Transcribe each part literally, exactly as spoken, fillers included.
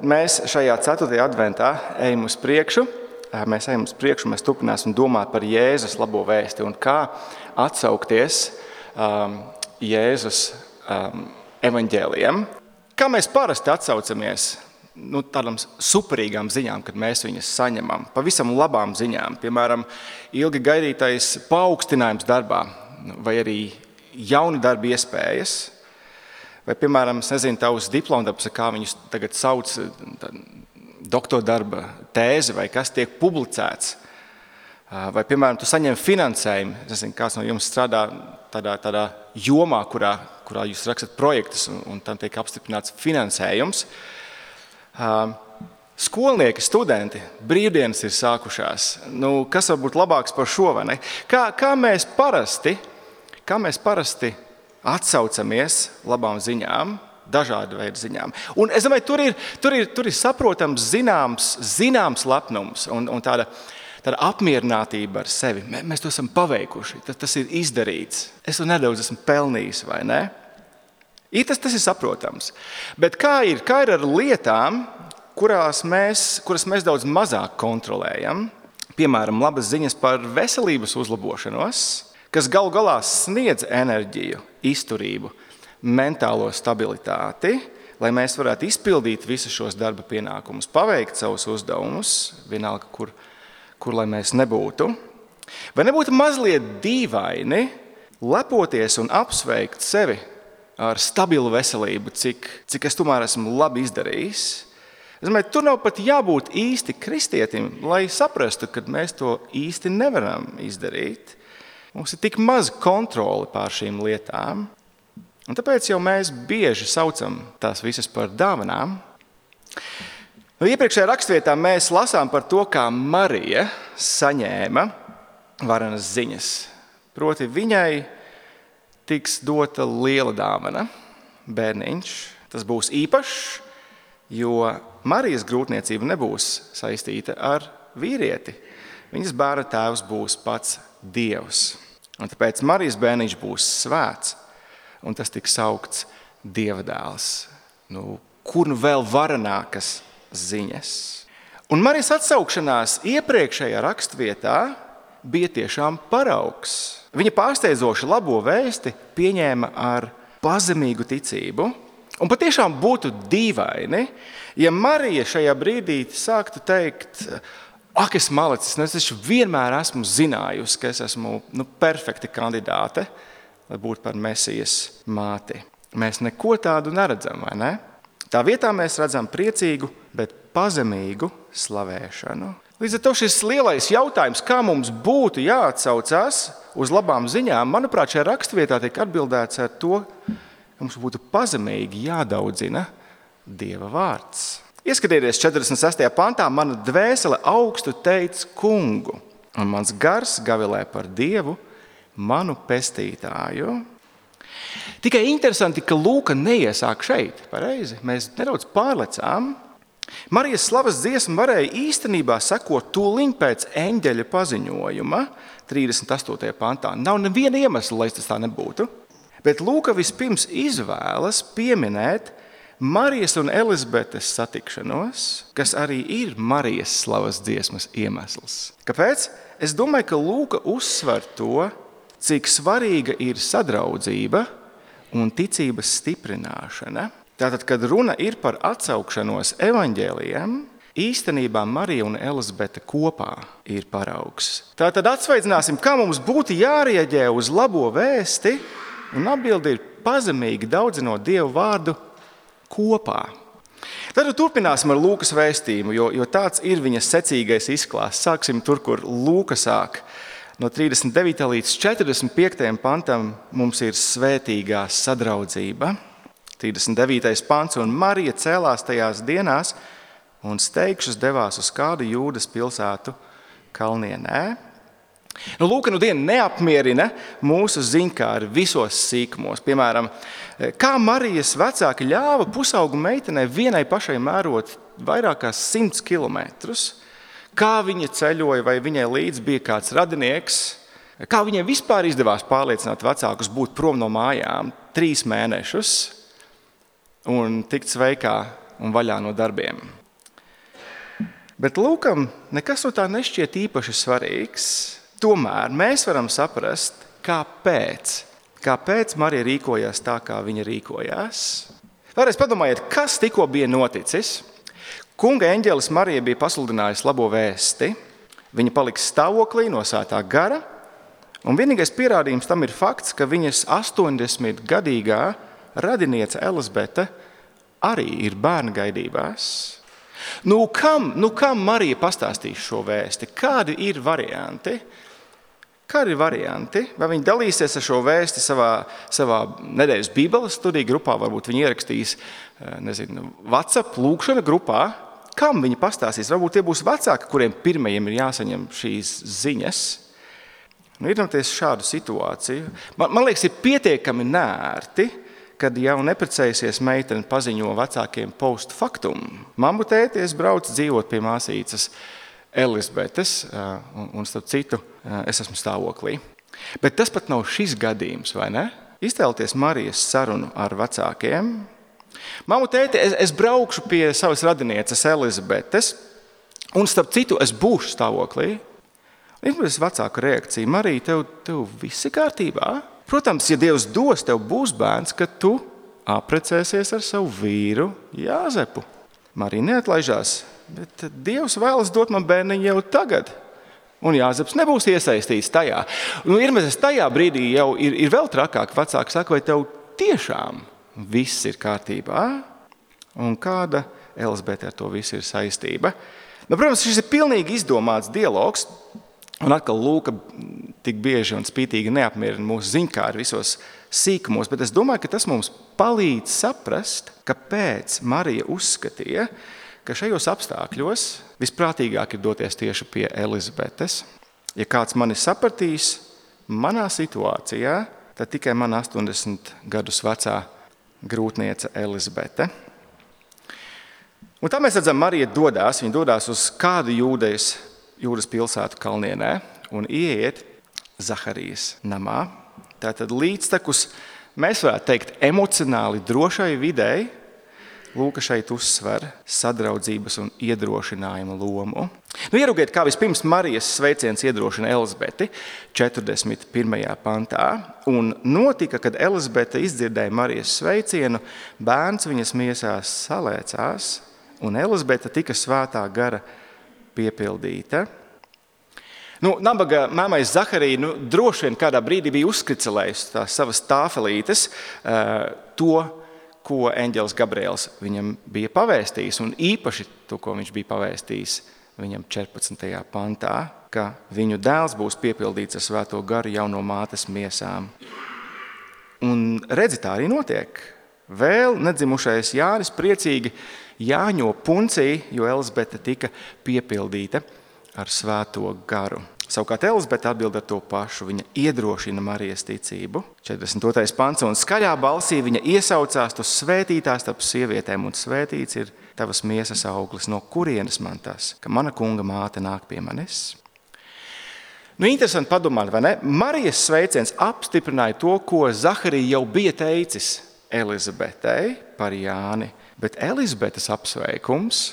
Mēs šajā ceturtajā adventā ejam uz priekšu. Mēs ejam uz priekšu, mēs turpināsim domāt par Jēzus labo vēsti un kā atsaukties um, Jēzus um, evaņģēlijam. Kā mēs parasti atsaucamies nu, tādām superīgām ziņām, kad mēs viņas saņemam, pavisam labām ziņām, piemēram, ilgi gaidītais paaugstinājums darbā vai arī jauni darba iespējas. Vai, piemēram, es nezinu, tavs diplomdarbs, kā viņus tagad sauc, doktora darba tēze vai kas tiek publicēts. Vai, piemēram, tu saņem finansējumu, es nezinu, kāds no jums strādā tādā, tādā jomā, kurā, kurā jūs rakstat projektus un, un tam tiek apstiprināts finansējums. Skolnieki, studenti, brīvdienas ir sākušās. Nu, kas var būt labāks par šo, vai ne? Kā, kā mēs parasti, kā mēs parasti atsaucamies labām ziņām, dažādu veidu ziņām. Un es domāju, tur ir, tur ir, tur ir saprotams zināms, zināms lepnums un, un tāda, tāda apmierinātība ar sevi. Mēs to esam paveikuši, tas, tas ir izdarīts. Es to nedaudz esmu pelnījis, vai ne? I, tas, tas ir saprotams. Bet kā ir, kā ir ar lietām, kurās mēs, kuras mēs daudz mazāk kontrolējam? Piemēram, labas ziņas par veselības uzlabošanos, kas galu galā sniedz enerģiju, izturību, mentālo stabilitāti, lai mēs varētu izpildīt visus šos darba pienākumus, paveikt savus uzdevumus, vienalga, kur, kur lai mēs nebūtu. Vai nebūtu mazliet dīvaini lepoties un apsveikt sevi ar stabilu veselību, cik, cik es tomēr esmu labi izdarījis? Es domāju, tur nav pat jābūt īsti kristietim, lai saprastu, ka mēs to īsti nevaram izdarīt. Mums ir tik maz kontroli pār šīm lietām, un tāpēc jau mēs bieži saucam tās visas par dāvanām. Nu, iepriekšējā rakstvietā mēs lasām par to, kā Marija saņēma varenas ziņas. Proti viņai tiks dota liela dāvana, bērniņš. Tas būs īpašs, jo Marijas grūtniecība nebūs saistīta ar vīrieti. Viņas bērna tēvs būs pats Dievs. Un tāpēc Marijas bērniņš būs svēts, un tas tiks saukts Dieva dēls. Nu, kur nu vēl varenākas ziņas? Un Marijas atsaukšanās iepriekšējā rakstvietā bija tiešām paraugs. Viņa pārsteidzoši labo vēsti pieņēma ar pazemīgu ticību, un patiešām būtu dīvaini, ja Marija šajā brīdī sāktu teikt: Ak, es malicis, es taču vienmēr esmu zinājusi, ka es esmu nu, perfekta kandidāte, lai būtu par Mesijas māti. Mēs neko tādu neredzam, vai ne? Tā vietā mēs redzam priecīgu, bet pazemīgu slavēšanu. Līdz ar to šis lielais jautājums, kā mums būtu jāatsaucās uz labām ziņām, manuprāt, šajā rakstvietā tiek atbildēts ar to, ka mums būtu pazemīgi jādaudzina Dieva vārds. Ieskatieties četrdesmit sestajā pantā, mana dvēsele augstu teic kungu, un mans gars gavilē par Dievu, manu pestītāju. Tikai interesanti, ka Lūka neiesāk šeit, pareizi, mēs nedaudz pārlecām. Marijas slavas dziesma varēja īstenībā sekot tūliņ pēc eņģeļa paziņojuma, trīsdesmit astotajā pantā. Nav neviena iemesla, lai tas tā nebūtu, bet Lūka vispirms izvēlas pieminēt Marijas un Elizabetes satikšanos, kas arī ir Marijas slavas dziesmas iemesls. Kāpēc? Es domāju, ka Lūka uzsver to, cik svarīga ir sadraudzība un ticības stiprināšana. Tātad, kad runa ir par atsaukšanos evaņģēlijam, īstenībā Marija un Elizabete kopā ir paraugs. Tātad atsveicināsim, kā mums būtu jārieģē uz labo vēsti, un atbilde ir pazemīgi daudzinot Dievu vārdu kopā. Tad turpināsim ar Lūkas vēstījumu, jo, jo tāds ir viņa secīgais izklāsts. Sāksim tur, kur Lūka sāk. No trīsdesmit devītā līdz četrdesmit piektajam pantam mums ir svētīgā sadraudzība. trīsdesmit devītais pants, un Marija cēlās tajās dienās un steigšus devās uz kādu Jūdas pilsētu kalnienē. Nu, Lūka nu dienu neapmierina mūsu ziņkāri visos sīkumos. Piemēram, kā Marijas vecāki ļāva pusaugu meitenei vienai pašai mērot vairākās simts kilometrus, kā viņa ceļoja, vai viņai līdz bija kāds radinieks, kā viņai vispār izdevās pārliecināt vecākus būt prom no mājām trīs mēnešus un tikt sveikā un vaļā no darbiem. Bet Lūkam nekas no tā nešķiet īpaši svarīgs. Tomēr mēs varam saprast, kāpēc. Kāpēc Marija rīkojās tā, kā viņa rīkojās. Vēlreiz padomājiet, kas tikko bija noticis. Kunga eņģelis Marija bija pasludinājusi labo vēsti. Viņa paliks stāvoklī no svētā gara, un vienīgais pierādījums tam ir fakts, ka viņas astoņdesmitgadīgā radiniece Elizabete arī ir bērnu gaidībās. Nu kam, nu kam Marija pastāstīs šo vēsti? Kādi ir varianti? Kādi ir varianti? Vai viņi dalīsies ar šo vēsti savā, savā nedēļas Bībeles studiju grupā? Varbūt viņi ierakstīs, nezinu, WhatsApp lūkšana grupā. Kam viņi pastāstīs? Varbūt tie būs vecāki, kuriem pirmajiem ir jāsaņem šīs ziņas. Nu, iedomājieties šādu situāciju. Man, man liekas, ir pietiekami nērti, kad jau neprecējusies meitene paziņo vecākiem post faktum. Mammu tēti, es braucu dzīvot pie māsīcas Elizabetes, un, un starp citu, es esmu stāvoklī. Bet tas pat nav šis gadījums, vai ne? Iztēloties Marijas sarunu ar vecākiem. Mammu tēti, es, es braukšu pie savas radinieces Elizabetes, un starp citu, es būšu stāvoklī. Ir vecāka reakcija. Marija, tev, tev viss ir kārtībā? Protams, ja Dievs dos, tev būs bērns, kad tu aprecēsies ar savu vīru Jāzepu. Marija neatlaižās, bet Dievs vēlas dot man bērniņu jau tagad. Un Jāzeps nebūs iesaistīts tajā. Nu, ir mēs tajā brīdī jau ir, ir vēl trakāk. Vecāki saka, vai tev tiešām viss ir kārtībā? Un kāda Elizabete ar to visu ir saistība? Nu, protams, šis ir pilnīgi izdomāts dialogs. Un atkal Lūka tik bieži un spītīgi neapmierina mūsu ziņkāri visos sīkumos, bet es domāju, ka tas mums palīdz saprast, kāpēc Marija uzskatīja, ka šajos apstākļos visprātīgāk ir doties tieši pie Elizabetes. Ja kāds mani sapratīs manā situācijā, tad tikai man astoņdesmit gadus vecā grūtniece Elizabete. Un tā mēs redzam, Marija dodās, viņa dodās uz kādu jūdejas, jūdas pilsētu kalnienē un ieiet Zaharijas namā. Tātad līdztekus, mēs varētu teikt, emocionāli drošai videi, Lūka šeit uzsver sadraudzības un iedrošinājuma lomu. Nu, ieraugiet, kā vispirms Marijas sveiciens iedrošina Elizabeti četrdesmit pirmajā pantā. Un notika, kad Elizabete izdzirdēja Marijas sveicienu, bērns viņas miesās salēcās, un Elizabete tika svētā gara piepildīta. Nu, nabaga māmai Zaharija nu, droši vien kādā brīdī bija uzskricelējusi tās savas tāfelītes, uh, to, ko eņģelis Gabriels viņam bija pavēstījis, un īpaši to, ko viņš bija pavēstījis viņam četrpadsmitajā pantā, ka viņu dēls būs piepildīts ar svēto garu jau no mātes miesām. Un redzi, tā arī notiek. Vēl nedzimušais Jānis priecīgi jāņo puncī, jo Elizabete tika piepildīta ar svēto garu. Savukārt Elizabete atbild ar to pašu. Viņa iedrošina Marijas ticību. četrdesmit otrais pants. Un skaļā balsī viņa iesaucās, tu svētītās starp sievietēm, un svētīts ir tavas miesas auglis. No kurienes man tas, ka mana kunga māte nāk pie manis? Nu, interesanti padomāt, vai ne? Marijas sveiciens apstiprināja to, ko Zaharija jau bija teicis Elizabetei par Jāni. Bet Elizabetes apsveikums,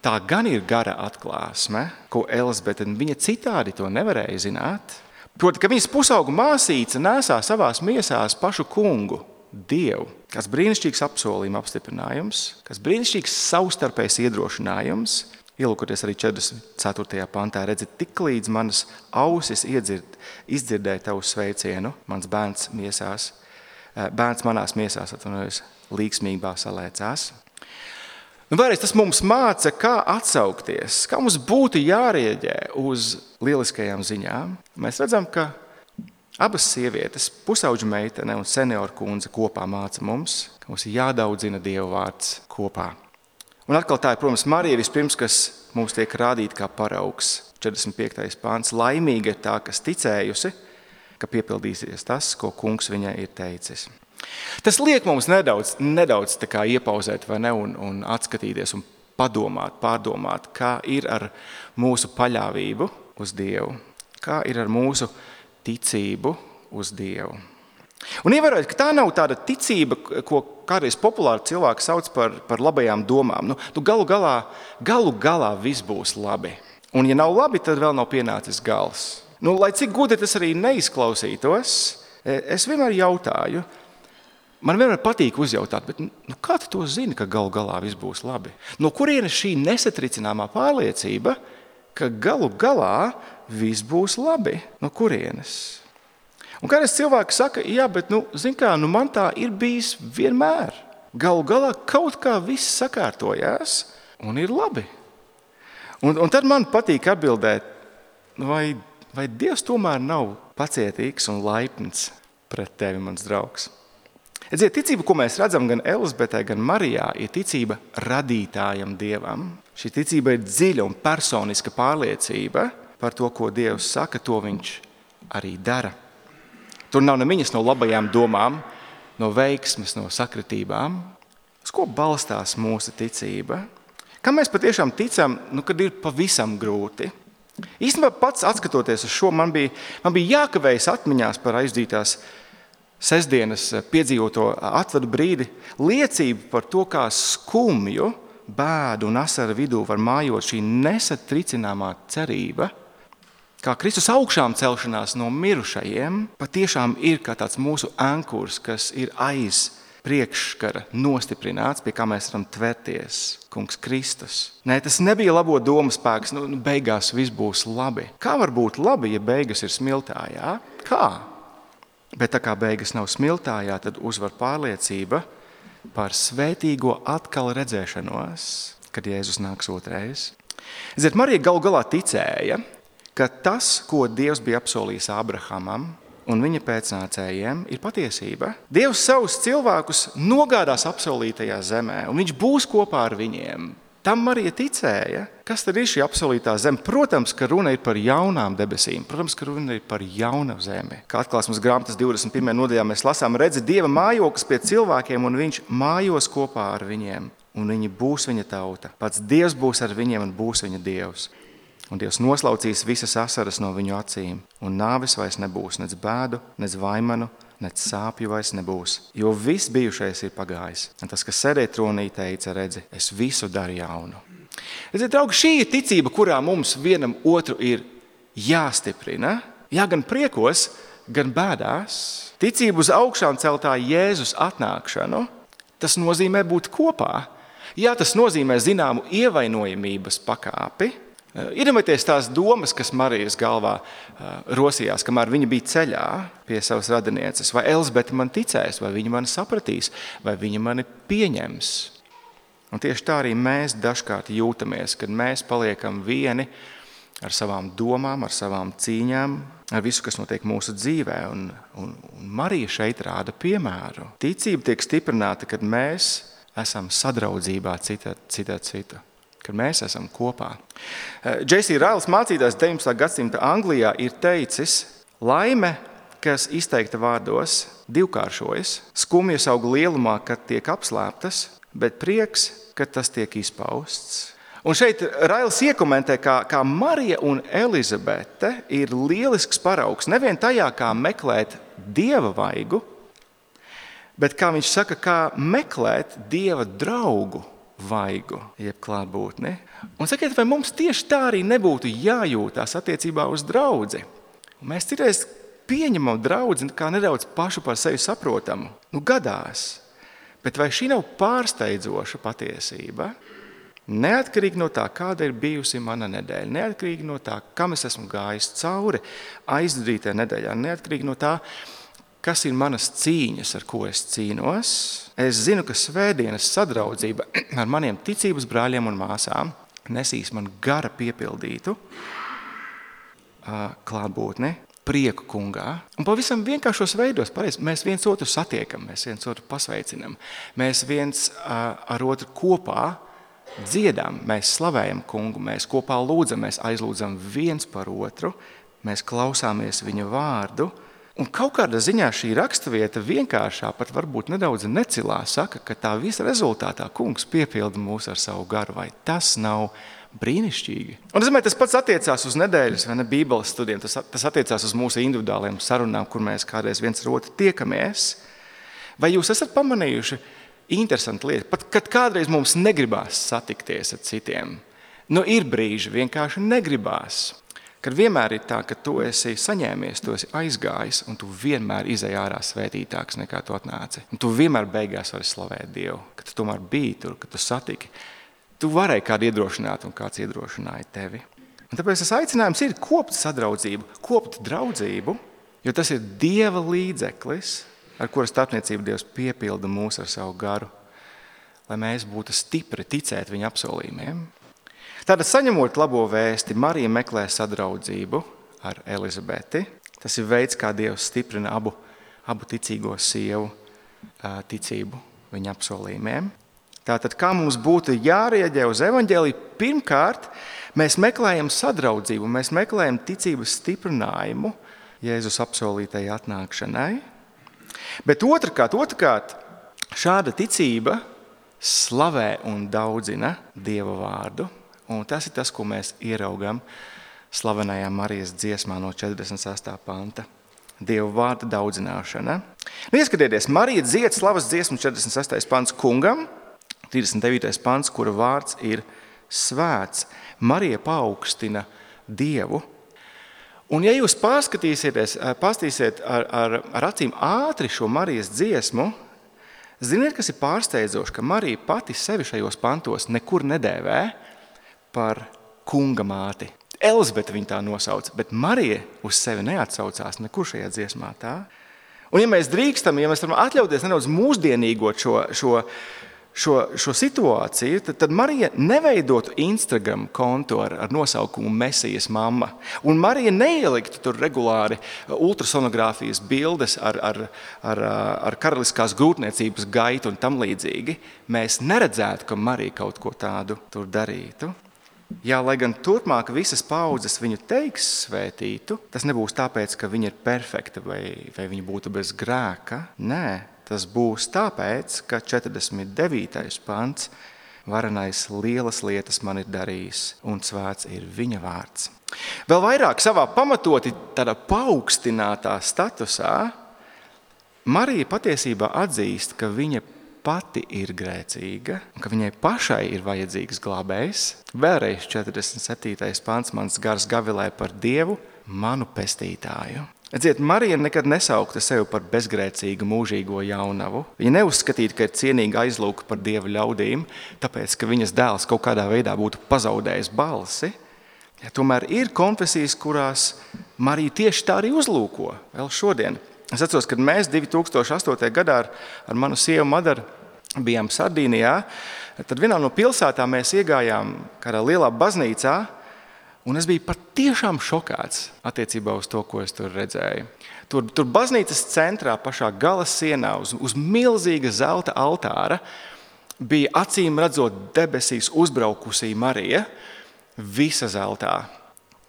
tā gan ir gara atklāsme, ko Elizabete viņa citādi to nevarēja zināt. Proti, ka viņas pusaugu māsīca nesā savās miesās pašu kungu, Dievu. Kāds brīnišķīgs apsolījuma apstiprinājums, kāds brīnišķīgs savstarpējs iedrošinājums. Ielūkoties arī četrdesmit ceturtajā pantā, redzi, tik līdz manas ausis iedzird, izdzirdēja tavu sveicienu, mans bērns miesās, bērns manās miesās atvainojas, līgsmībā salēcās. Nu, vēlreiz tas mums māca, kā atsaukties, kā mums būtu jārieģē uz lieliskajām ziņām. Mēs redzam, ka abas sievietes, pusauģu meitene un senioru kundze kopā māca mums, ka mums ir jādaudzina Dieva vārds kopā. Un atkal tā ir, protams, Marija vispirms, kas mums tiek rādīta kā paraugs. četrdesmit piektais pāns. Laimīga ir tā, kas ticējusi, ka piepildīsies tas, ko kungs viņai ir teicis. Tas liek mums nedaudz, nedaudz tā kā iepauzēt vai ne, un, un atskatīties un padomāt, pārdomāt, kā ir ar mūsu paļāvību uz Dievu, kā ir ar mūsu ticību uz Dievu. Un ievērojot, ka tā nav tāda ticība, ko kādreiz populāri cilvēki sauc par, par labajām domām. Nu, nu galu galā, galu galā viss būs labi. Un ja nav labi, tad vēl nav pienācis gals. Nu, lai cik gudri tas arī neizklausītos, es vienmēr jautāju, man vienmēr patīk uzjautāt, bet nu, kā tu to zini, ka galu galā viss būs labi? No kurienes šī nesatricināmā pārliecība, ka galu galā viss būs labi? No kurienes? Un kādreiz cilvēki saka, jā, bet nu, zin kā, nu, man tā ir bijis vienmēr. Galu galā kaut kā viss sakārtojās un ir labi. Un, un tad man patīk atbildēt, vai, vai Dievs tomēr nav pacietīgs un laipns pret tevi, mans draugs. Redziet, ticība, ko mēs redzam gan Elizabetē, gan Marijā, ir ticība radītājam Dievam. Šī ticība ir dziļa un personiska pārliecība par to, ko Dievs saka, to viņš arī dara. Tur nav nemiņas no labajām domām, no veiksmes, no sakritībām. Uz ko balstās mūsu ticība? Kam mēs patiešām ticam, nu, kad ir pavisam grūti? Īstenībā pats atskatoties uz šo, man bija, man bija jākavējas atmiņās par aizdītās sestdienas piedzīvoto atvadu brīdi, liecību par to, kā skumju, bēdu un asaru vidū var mājot šī nesatricināmā cerība, kā Kristus augšām celšanās no mirušajiem, patiešām ir kā tāds mūsu ankurs, kas ir aiz priekškara nostiprināts, pie kā mēs varam tverties, kungs Kristus. Nē, tas nebija labo domu spēks, nu, beigās viss būs labi. Kā var būt labi, ja beigas ir smiltājā? Kā? Bet tā kā beigas nav smiltājā, tad uzvar pārliecība par svētīgo atkal redzēšanos, kad Jēzus nāks otrais. Ziniet, Marija galu galā ticēja, ka tas, ko Dievs bija apsolījis Abrahamam un viņa pēcnācējiem, ir patiesība. Dievs savus cilvēkus nogādās apsolītajā zemē, un viņš būs kopā ar viņiem. Tam Marija ticēja. Kas tad ir šī apsolītā zeme? Protams, ka runa ir par jaunām debesīm. Protams, ka runa ir par jaunu zemi. Kā atklāsmes grāmatas divdesmit pirmajā nodaļā mēs lasām, redzi Dieva mājoklis pie cilvēkiem, un viņš mājos kopā ar viņiem. Un viņi būs viņa tauta. Pats Dievs būs ar viņiem un būs viņa Dievs. Un Dievs noslaucīs visas asaras no viņu acīm. Un nāvis vairs nebūs, nec bēdu, nec vaimanu, nec sāpju vairs nebūs. Jo viss bijušais ir pagājis. Un tas, kas sēdēja tronī, teica, redzi, es visu daru jaunu. Redziet, draugi, šī ir ticība, kurā mums vienam otru ir jāstiprina. Jā, gan priekos, gan bēdās. Ticība uz augšām celtā Jēzus atnākšanu, tas nozīmē būt kopā. Jā, tas nozīmē zināmu ievainojamības pakāpi. Iedomājieties tās domas, kas Marijas galvā rosījās, kamēr viņa bija ceļā pie savas radinieces. Vai Elizabete man ticēs, vai viņa mani sapratīs, vai viņa mani pieņems. Un tieši tā arī mēs dažkārt jūtamies, kad mēs paliekam vieni ar savām domām, ar savām cīņām, ar visu, kas notiek mūsu dzīvē. Un, un, un Marija šeit rāda piemēru. Ticība tiek stiprināta, kad mēs esam sadraudzībā cita cita citu. Kad mēs esam kopā. J C Ryles mācītājs deviņpadsmitā gadsimta Anglijā ir teicis, laime, kas izteikta vārdos, divkāršojas, skumjas aug lielumā, kad tiek apslēptas, bet prieks, kad tas tiek izpausts. Un šeit Ryles iekomentē, kā, kā Marija un Elizabete ir lielisks paraugs, nevien tajā, kā meklēt Dieva vaigu, bet kā viņš saka, kā meklēt Dieva draugu vaigu, jeb klātbūtni. Un sakiet, vai mums tieši tā arī nebūtu jājūtās attiecībā uz draudzi? Mēs citreiz pieņemam draudzi kā nedaudz pašu par sevi saprotamu. Nu, gadās. Bet vai šī nav pārsteidzoša patiesība? Neatkarīgi no tā, kāda ir bijusi mana nedēļa, neatkarīgi no tā, kam es esmu gājis cauri aizdrītē nedēļā, neatkarīgi no tā, kas ir manas cīņas, ar ko es cīnos, es zinu, ka svētdienas sadraudzība ar maniem ticības brāļiem un māsām nesīs man gara piepildītu klātbūtni, prieku kungā. Un pavisam vienkāršos veidos, pareizi, mēs viens otru satiekam, mēs viens otru pasveicinam, mēs viens ar otru kopā dziedam, mēs slavējam kungu, mēs kopā lūdzam, mēs aizlūdzam viens par otru, mēs klausāmies viņa vārdu, Un kaut kādā ziņā šī raksturvieta vienkāršā, pat varbūt nedaudz necilā, saka, ka tā visa rezultātā kungs piepilda mūs ar savu garu. Vai tas nav brīnišķīgi? Un es domāju, tas pats attiecās uz nedēļas vai ne bībeles studiem, tas, tas attiecās uz mūsu individuāliem sarunām, kur mēs kādreiz viens ar otru tiekamies. Vai jūs esat pamanījuši interesantu lietu? Pat kad kādreiz mums negribās satikties ar citiem, nu ir brīži vienkārši negribās. Kad vienmēr ir tā, ka tu esi saņēmies, tu esi aizgājis, un tu vienmēr izej ārā svētītāks nekā tu atnāci. Un tu vienmēr beigās vari slavēt Dievu, ka tu tomēr biji tur, ka tu satiki. Tu varēji kādu iedrošināt, un kāds iedrošināja tevi. Un tāpēc tas aicinājums ir kopt sadraudzību, kopt draudzību, jo tas ir Dieva līdzeklis, ar kura starpniecību Dievs piepilda mūs ar savu garu, lai mēs būtu stipri ticēt viņa apsolījumiem. Tātad, saņemot labo vēsti, Marija meklē sadraudzību ar Elizabeti. Tas ir veids, kā Dievs stiprina abu, abu ticīgo sievu ticību viņa apsolījumiem. Tātad, kā mums būtu jārieģē uz evaņģēliju? Pirmkārt, mēs meklējam sadraudzību, mēs meklējam ticības stiprinājumu Jēzus apsolītajai atnākšanai. Bet otrkārt, otrkārt, šāda ticība slavē un daudzina Dieva vārdu. Un tas ir tas, ko mēs ieraugam slavenajā Marijas dziesmā no četrdesmit sestā panta. Dieva vārda daudzināšana. Nu, ieskatieties, Marija dzied slavas dziesmu četrdesmit sestais pants kungam, trīsdesmit devītais pants, kura vārds ir svēts. Marija paaugstina Dievu. Un ja jūs pārskatīsieties, pastīsiet ar, ar, ar acīm ātri šo Marijas dziesmu, ziniet, kas ir pārsteidzoši, ka Marija pati sevi šajos pantos nekur nedēvē par kunga māti. Elizabete viņa tā nosauc, bet Marija uz sevi neatsaucās nekur šajā dziesmā tā. Un ja mēs drīkstam, ja mēs varam atļauties nedaudz mūsdienīgot šo, šo, šo, šo situāciju, tad, tad Marija neveidotu Instagram kontu ar, ar nosaukumu Mesijas mamma. Un Marija neieliktu tur regulāri ultrasonogrāfijas bildes ar, ar, ar, ar karaliskās grūtniecības gaitu un tam līdzīgi. Mēs neredzētu, ka Marija kaut ko tādu tur darītu. Jā, lai gan turpmāk visas paaudzes viņu teiks svētītu, tas nebūs tāpēc, ka viņa ir perfekta vai, vai viņa būtu bez grēka. Nē, tas būs tāpēc, ka četrdesmit devītais pants varenais lielas lietas man ir darījis un svēts ir viņa vārds. Vēl vairāk savā pamatoti tādā paaugstinātā statusā Marija patiesībā atzīst, ka viņa pati ir grēcīga, un ka viņai pašai ir vajadzīgs glābējs. Vēlreiz četrdesmit septītais pants mans gars gavilē par Dievu, manu pestītāju. Redziet, Marija nekad nesaukta sevi par bezgrēcīgu mūžīgo jaunavu. Viņa neuzskatīta, ka ir cienīga aizlūka par Dieva ļaudīm, tāpēc, ka viņas dēls kaut kādā veidā būtu pazaudējis balsi. Ja, tomēr ir konfesijas, kurās Marija tieši tā arī uzlūko vēl šodien. Es atceros, kad mēs divi tūkstoši astotajā gadā ar, ar manu sievu Madaru bijām Sardīnijā, tad vienā no pilsētām mēs iegājām kādā lielā baznīcā, un es biju patiešām šokāts attiecībā uz to, ko es tur redzēju. Tur, tur baznīcas centrā, pašā gala sienā, uz, uz milzīga zelta altāra, bija acīm redzot debesīs uzbraukusī Marija, visa zeltā.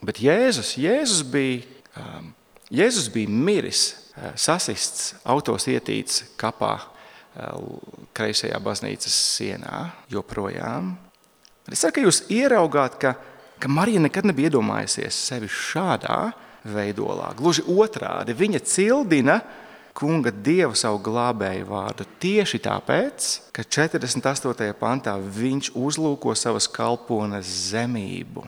Bet Jēzus, Jēzus bija, um, Jēzus bija miris, sasists, autos ietīts kapā kreisajā baznīcas sienā joprojām. Es ceru, ka jūs ieraugāt, ka, ka Marija nekad nebija iedomājusies sevi šādā veidolā. Gluži otrādi, viņa cildina kunga Dievu savu glābēju vārdu tieši tāpēc, ka četrdesmit astotajā pantā viņš uzlūko savas kalpones zemību.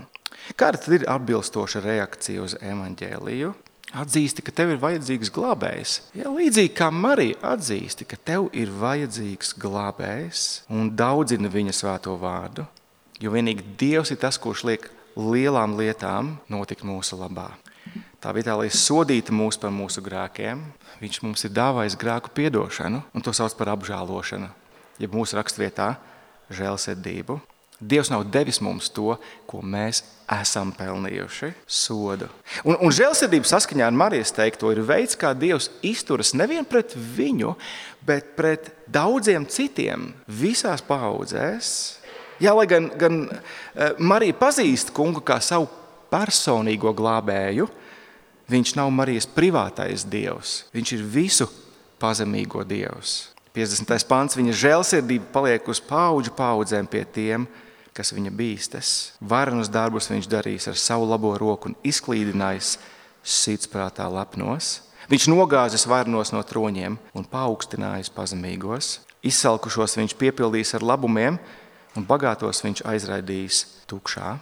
Kāda tad ir atbilstoša reakcija uz evaņģēliju? Atzīsti, ka tev ir vajadzīgs glābējs. Ja, līdzīgi kā Marija atzīsti, ka tev ir vajadzīgs glābējs un daudzina viņa svēto vārdu, jo vienīgi Dievs ir tas, kurš liek lielām lietām notikt mūsu labā. Tā vietā, lai sodītu mūs par mūsu grēkiem, viņš mums ir dāvājis grēku piedošanu, un to sauc par apžēlošanu, jeb mūsu rakstvietā žēlsirdību. Dievs nav devis mums to, ko mēs esam pelnījuši, sodu. Un, un žēlsirdība saskaņā ar Marijas teikto ir veids, kā Dievs izturas nevien pret viņu, bet pret daudziem citiem visās paaudzēs. Jā, lai gan, gan Marija pazīst kungu kā savu personīgo glābēju, Viņš nav Marijas privātais dievs, viņš ir visu pazemīgo dievs. piecdesmitais pants, viņa žēlsirdība paliek uz paudžu paudzēm pie tiem, kas viņa bīstas. Varenus darbus viņš darīs ar savu labo roku un izklīdinājis sirdsprātā lepnos. Viņš nogāzis varenos no troņiem un paaugstinājis pazemīgos. Izsalkušos viņš piepildīs ar labumiem un bagātos viņš aizraidīs tukšā.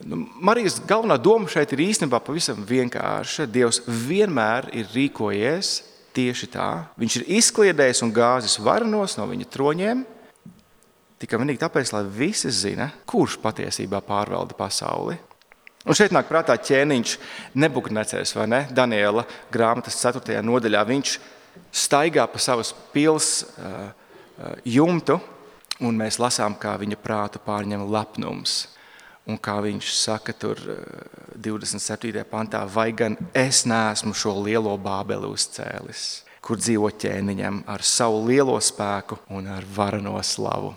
Nu, Marijas galvenā doma šeit ir īstenībā pavisam vienkārša. Dievs vienmēr ir rīkojies tieši tā. Viņš ir izkliedējis un gāzis varenos no viņa troņiem, tikai vienīgi tāpēc, lai visi zina, kurš patiesībā pārvalda pasauli. Un šeit nāk prātā ķēniņš Nebukadnecers, vai ne? Daniela grāmatas ceturtajā nodaļā. Viņš staigā pa savas pils uh, uh, jumtu, un mēs lasām, kā viņa prātu pārņem lepnums. Un kā viņš saka tur divdesmit septītajā pantā, vai gan es neesmu šo lielo Bābeli uzcēlis, kur dzīvo ķēniņam ar savu lielo spēku un ar vareno slavu.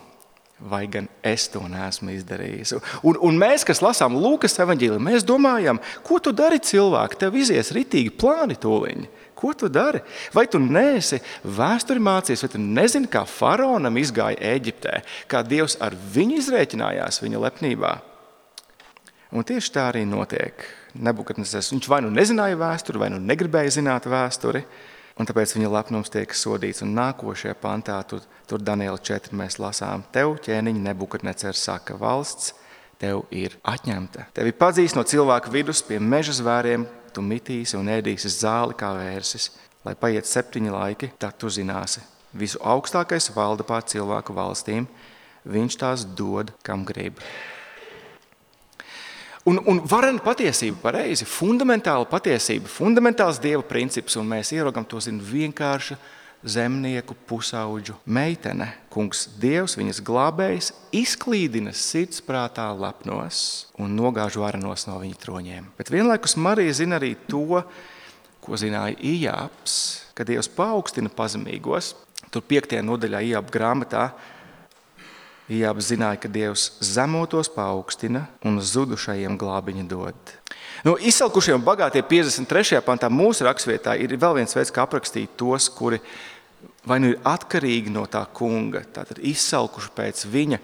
Vai gan es to neesmu izdarījis. Un, un mēs, kas lasām Lūkas evaņģēliju, mēs domājam, ko tu dari cilvēki, tev izies ritīgi plāni tūliņi. Ko tu dari? Vai tu neesi vēsturi mācījies, vai tu nezini, kā faraonam izgāja Ēģiptē, kā Dievs ar viņu izrēķinājās viņa lepnībā? Un tieši tā arī notiek. Nebukadnecers, viņš vai nu nezināja vēsturi, vai nu negribēja zināt vēsturi, un tāpēc viņa lepnums tiek sodīts. Un nākošajā pantā, tur, tur Daniela četri mēs lasām, tev ķēniņi Nebukadnecers saka, valsts tev ir atņemta. Tevi padzīs no cilvēku vidus pie meža zvēriem, tu mitīsi un ēdīsi zāli kā vērsis, lai paiet septiņi laiki, tad tu zināsi. Visu augstākais valda pār cilvēku valstīm, viņš tās dod, kam grib. Un, un varena patiesība, pareizi, fundamentāla patiesība, fundamentāls Dieva princips, un mēs ieraugam to zinu vienkārša zemnieku pusauģu meitene. Kungs Dievs, viņas glābējs, izklīdina sirdsprātā lepnos un nogāž varenos no viņa troņiem. Bet vienlaikus Marija zina arī to, ko zināja Ijābs, ka Dievs paaugstina pazemīgos. Tur piektajā nodaļā Ijāba grāmatā Ijābs zināja, ka Dievs zemotos paaugstina un zudušajiem glābiņu dod. Nu, izsalkušie un bagātie piecdesmit trešajā pantā mūsu rakstvietā ir vēl viens veids, kā aprakstīt tos, kuri vai nu ir atkarīgi no tā kunga, tātad izsalkuši pēc viņa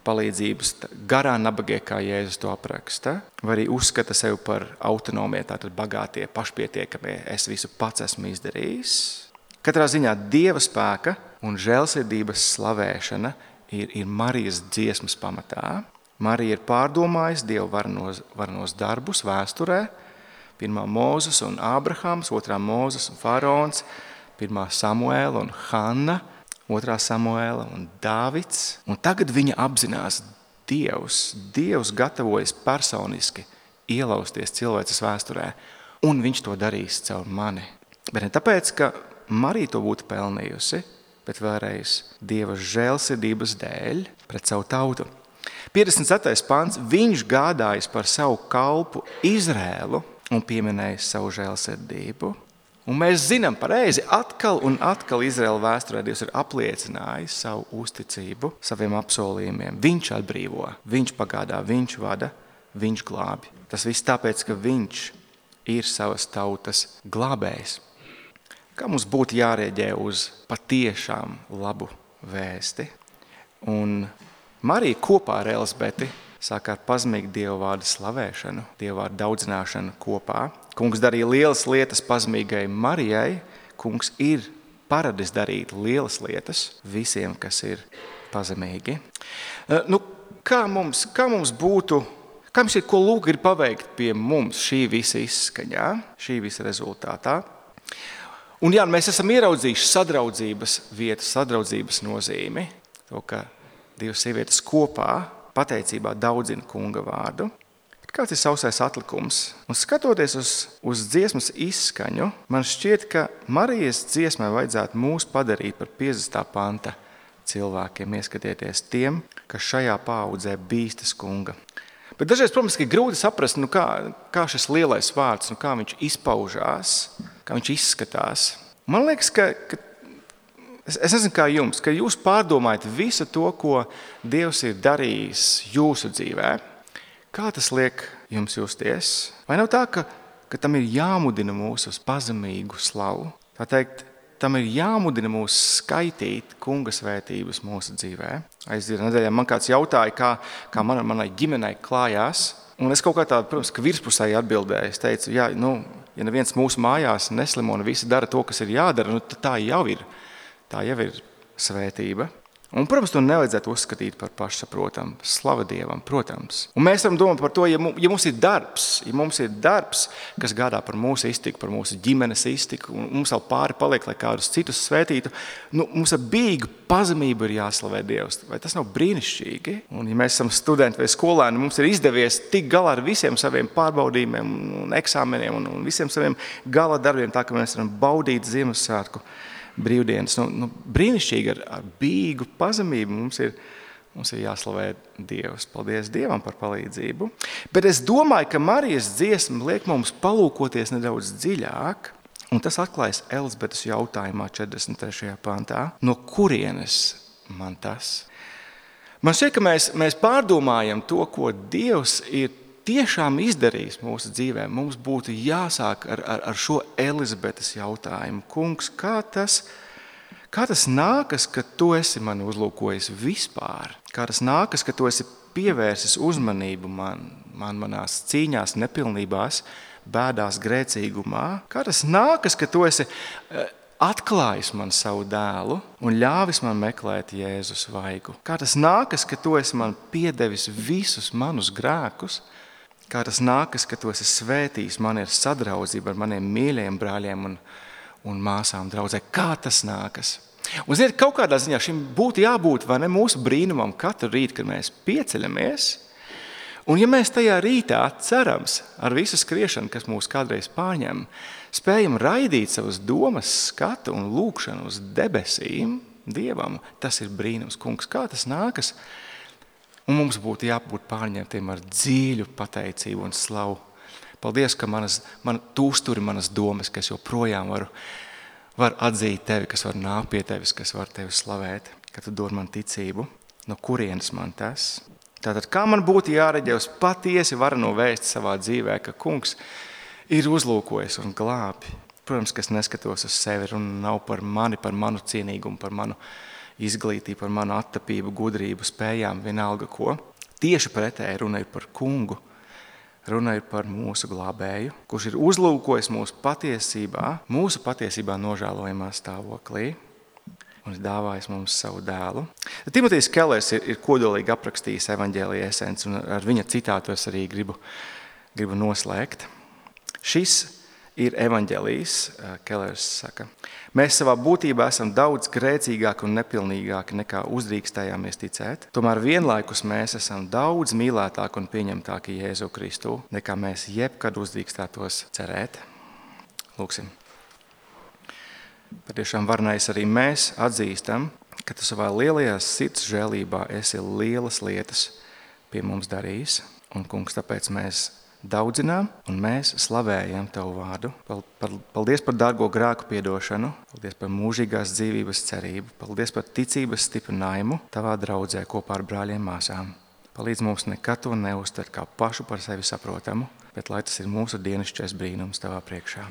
palīdzības, garā nabagie, kā Jēzus to apraksta, vai arī uzskata sevi par autonomie, tātad bagātie, pašpietiekamie, es visu pats esmu izdarījis. Katrā ziņā Dieva spēka un žēlsirdības slavēšana Ir, ir Marijas dziesmas pamatā. Marija ir pārdomājusi Dievu varenos, varenos darbus vēsturē. Pirmā Mūzes un Ābrahams, otrā Mūzes un Faraons, pirmā Samuēla un Hanna, otrā Samuēla un Dāvids. Un tagad viņa apzinās Dievs. Dievs gatavojas personiski ielausties cilvēces vēsturē, un viņš to darīs caur mani. Bet ne tāpēc, ka Marija to būtu pelnījusi, bet vēlreiz Dieva žēlsirdības dēļ pret savu tautu. piecdesmit ceturtais pants, viņš gādājis par savu kalpu Izrēlu un pieminējis savu žēlsirdību. Un mēs zinām pareizi, atkal un atkal Izraēla vēsturē Dievs ir apliecinājis savu uzticību saviem apsolījumiem. Viņš atbrīvo, viņš pagādā, viņš vada, viņš glābi. Tas viss tāpēc, ka viņš ir savas tautas glābējs. Kā mums būtu jārēģē uz patiešām labu vēsti. Un Marija kopā ar Elizabeti sāk ar pazemīgu Dieva vārdu slavēšanu, Dieva vārdu daudzināšanu kopā. Kungs darīja lielas lietas pazemīgai Marijai. Kungs ir paradis darīt lielas lietas visiem, kas ir pazemīgi. Nu, kā mums, kā mums būtu, kā mums ir, ko Lūk ir paveikt pie mums šī visa izskaņā, šī visa rezultātā? Un jā, mēs esam ieraudzījuši sadraudzības vietu, sadraudzības nozīmi, to, ka divas sievietes kopā pateicībā daudzina kunga vārdu. Bet kāds ir sausais atlikums? Un skatoties uz, uz dziesmas izskaņu, man šķiet, ka Marijas dziesmai vajadzētu mūs padarīt par piecdesmitā panta cilvēkiem, ieskatieties tiem, kas šajā paaudzē bīstas kunga. Bet dažreiz, protams, ir grūti saprast, nu kā, kā šis lielais vārds, nu kā viņš izpaužās, kā viņš izskatās. Man liekas, ka, ka es, es nezinu kā jums, ka jūs pārdomājat visu to, ko Dievs ir darījis jūsu dzīvē. Kā tas liek jums justies? Vai nav tā, ka ka tam ir jāmudina mūs uz pazemīgu slavu. Tā teikt, tam ir jāmudina mūs skaitīt kunga svētības mūsu dzīvē. Aizdien nedēļā man kāds jautāja, kā, kā man, manai ģimenei klājās. Un es kaut kā tādu, protams, ka virspusēji atbildēju. Es teicu, jā, nu, ja neviens mūsu mājās neslimo un visi dara to, kas ir jādara, nu, tā jau ir, tā jau ir svētība. Un, protams, to nevajadzētu uzskatīt par pašsaprotamu. Slava Dievam, protams. Un mēs varam domāt par to, ja mums ir darbs, ja mums ir darbs, kas gādā par mūsu iztiku, par mūsu ģimenes iztiku, un mums vēl pāri paliek, lai kādus citus svētītu, nu, mums ar bīgu pazemību ir jāslavē Dievs. Vai tas nav brīnišķīgi? Un, ja mēs esam studenti vai skolēni, mums ir izdevies tik galā ar visiem saviem pārbaudījumiem un eksāmeniem un, un visiem saviem gala darbiem, tā ka mēs varam baudīt Ziemassvētku brīvdienas. Nu, nu, brīnišķīgi ar, ar bīgu pazemību mums ir, mums ir jāslavē Dievs. Paldies Dievam par palīdzību. Bet es domāju, ka Marijas dziesma liek mums palūkoties nedaudz dziļāk, un tas atklājas Elizabetes jautājumā četrdesmit trešajā pantā. No kurienes man tas? Man šķiet, ka mēs, mēs pārdomājam to, ko Dievs ir tiešām izdarījis mūsu dzīvē. Mums būtu jāsāk ar, ar, ar šo Elizabetes jautājumu. Kungs, kā tas, kā tas nākas, ka tu esi mani uzlūkojis vispār? Kā tas nākas, ka tu esi pievērsis uzmanību man, man manās cīņās, nepilnībās, bēdās, grēcīgumā? Kā tas nākas, ka tu esi atklājis man savu dēlu un ļāvis man meklēt Jēzus vaigu? Kā tas nākas, ka tu esi man piedevis visus manus grēkus? Kā tas nākas, ka tu esi svētījis mani ar sadraudzību ar maniem mīļajiem brāļiem un, un māsām draudzē? Kā tas nākas? Un ziniet, kaut kādā ziņā šim būtu jābūt vai ne mūsu brīnumam katru rītu, kad mēs pieceļamies. Un ja mēs tajā rītā cerams ar visu skriešanu, kas mūs kādreiz pārņem, spējam raidīt savas domas, skatu un lūkšanu uz debesīm Dievam, tas ir brīnums. Kungs, kā tas nākas? Un mums būtu jābūt pārņemtiem ar dziļu pateicību un slavu. Paldies, ka manas, man, tu uzturi manas domas, ka es joprojām varu, varu atzīt tevi, kas var nākt pie tevis, kas var tevi slavēt, ka tu dod man ticību. No kurienes man tas? Tātad, kā man būtu jāreģē uz patiesi varano vēsti savā dzīvē, ka kungs ir uzlūkojis un glābi. Protams, ka es neskatos uz sevi un nav par mani, par manu cienīgumu, par manu izglītību, par manu attapību, gudrību, spējām, vienalga ko. Tieši pretēji runa ir par kungu, runa ir par mūsu glābēju, kurš ir uzlūkojis mūsu patiesībā, mūsu patiesībā nožēlojamā stāvoklī un ir dāvājis mums savu dēlu. Timotejs Kellers ir, ir kodolīgi aprakstījis evaņģēlija esenci, un ar viņa citātu es arī gribu, gribu noslēgt. Šis ir evaņģēlijs, Kellers saka. Mēs savā būtībā esam daudz grēcīgāki un nepilnīgāki nekā uzdrīkstējāmies ticēt. Tomēr vienlaikus mēs esam daudz mīlētāki un pieņemtāki Jēzu Kristu, nekā mēs jebkad uzdrīkstētos cerēt. Lūksim. Patiešām varnais arī mēs atzīstam, ka tu savā lielajā sirds žēlībā esi lielas lietas pie mums darījis. Un, kungs, tāpēc mēs daudzinām un mēs slavējam Tavu vārdu. Paldies par dārgo grēku piedošanu, paldies par mūžīgās dzīvības cerību, paldies par ticības stiprinājumu Tavā draudzē kopā ar brāļiem māsām. Palīdz mums nekad to neuztvert kā pašu par sevi saprotamu, bet lai tas ir mūsu dienasčais brīnums Tavā priekšā.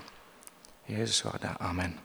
Jēzus vārdā. Amen.